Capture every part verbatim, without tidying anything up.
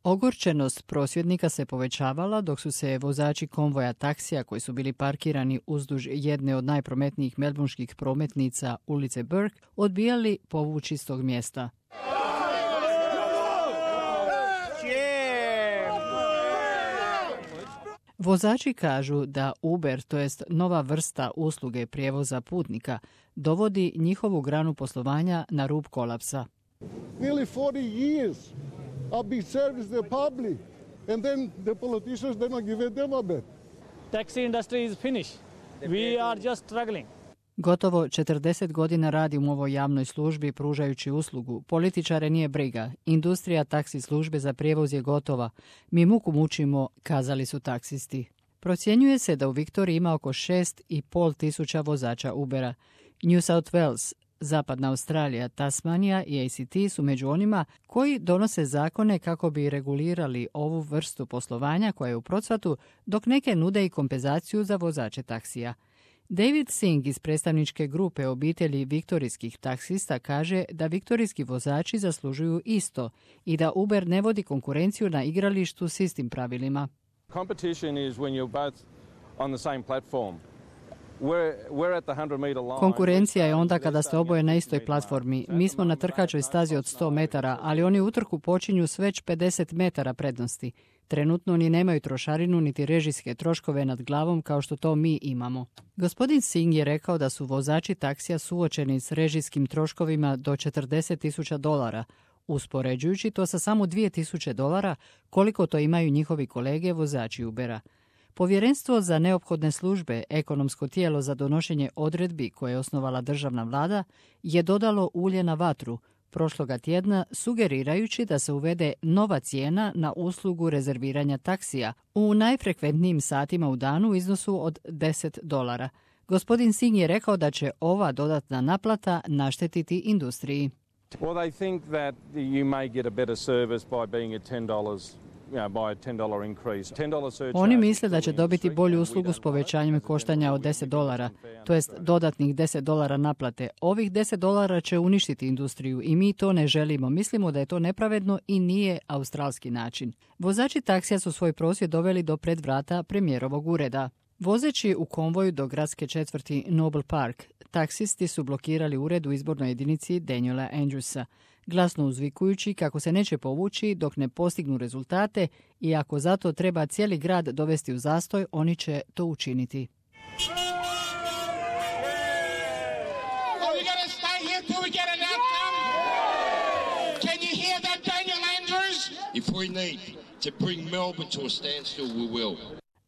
Ogorčenost prosvjednika se povećavala dok su se vozači konvoja taksija koji su bili parkirani uzduž jedne od najprometnijih melburnških prometnica ulice Burke odbijali povući s tog mjesta. Vozači kažu da Uber, to jest nova vrsta usluge prijevoza putnika, dovodi njihovu granu poslovanja na rub kolapsa. Nearly forty years I've been servicing the public and then the politicians they're not giving them a bit. Taxi industry is finished. We are just struggling. Gotovo četrdeset godina radim u ovoj javnoj službi pružajući uslugu. Političare nije briga. Industrija taksi službe za prijevoz je gotova. Mi muku mučimo, kazali su taksisti. Procjenjuje se da u Viktoriji ima oko šest i pol tisuća vozača Ubera. New South Wales, Zapadna Australija, Tasmanija i A C T su među onima koji donose zakone kako bi regulirali ovu vrstu poslovanja koja je u procvatu, dok neke nude i kompenzaciju za vozače taksija. David Singh iz predstavničke grupe obitelji viktorijskih taksista kaže da viktorijski vozači zaslužuju isto i da Uber ne vodi konkurenciju na igralištu s istim pravilima. Competition is when you're both on the same platform. Konkurencija je onda kada ste oboje na istoj platformi. Mi smo na trkačoj stazi od sto metara, ali oni utrku počinju s već pedeset metara prednosti. Trenutno ni nemaju trošarinu niti režijske troškove nad glavom kao što to mi imamo. Gospodin Singh je rekao da su vozači taksija suočeni s režijskim troškovima do četrdeset tisuća dolara, uspoređujući to sa samo dvije tisuće dolara koliko to imaju njihovi kolege vozači Ubera. Povjerenstvo za neophodne službe, ekonomsko tijelo za donošenje odredbi koje je osnovala državna vlada, je dodalo ulje na vatru prošloga tjedna sugerirajući da se uvede nova cijena na uslugu rezerviranja taksija u najfrekventnijim satima u danu u iznosu od deset dolara. Gospodin Singh je rekao da će ova dodatna naplata naštetiti industriji. Well, they think that you may get a better service by being at ten dollars. Oni misle da će dobiti bolju uslugu s povećanjem koštanja od deset dolara, to jest dodatnih deset dolara naplate. Ovih deset dolara će uništiti industriju i mi to ne želimo. Mislimo da je to nepravedno i nije australski način. Vozači taksija su svoj prosvjed doveli do pred vrata premijerovog ureda. Vozeći u konvoju do gradske četvrti Noble Park, taksisti su blokirali ured u izbornoj jedinici Daniela Andrewsa, glasno uzvikujući kako se neće povući dok ne postignu rezultate i ako zato treba cijeli grad dovesti u zastoj, oni će to učiniti.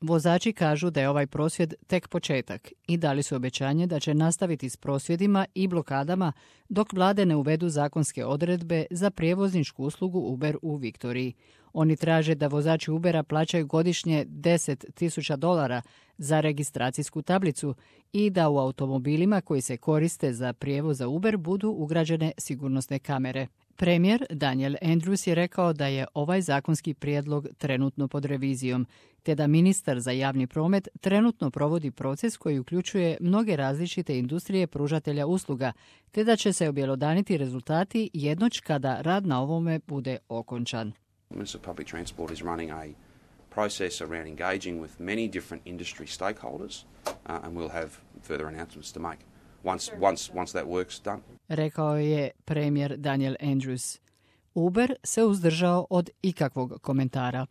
Vozači kažu da je ovaj prosvjed tek početak i dali su obećanje da će nastaviti s prosvjedima i blokadama dok vlade ne uvedu zakonske odredbe za prijevozničku uslugu Uber u Viktoriji. Oni traže da vozači Ubera plaćaju godišnje deset tisuća dolara za registracijsku tablicu i da u automobilima koji se koriste za prijevoz za Uber budu ugrađene sigurnosne kamere. Premijer Daniel Andrews je rekao da je ovaj zakonski prijedlog trenutno pod revizijom, te da ministar za javni promet trenutno provodi proces koji uključuje mnoge različite industrije pružatelja usluga, te da će se objelodaniti rezultati jednoć kada rad na ovome bude okončan. Minister of Public Transport is running a process around engaging with many different industry stakeholders, uh, and we'll have further announcements to make once once once that work's done. Rekao je premijer Daniel Andrews. Uber se uzdržao od ikakvog komentara.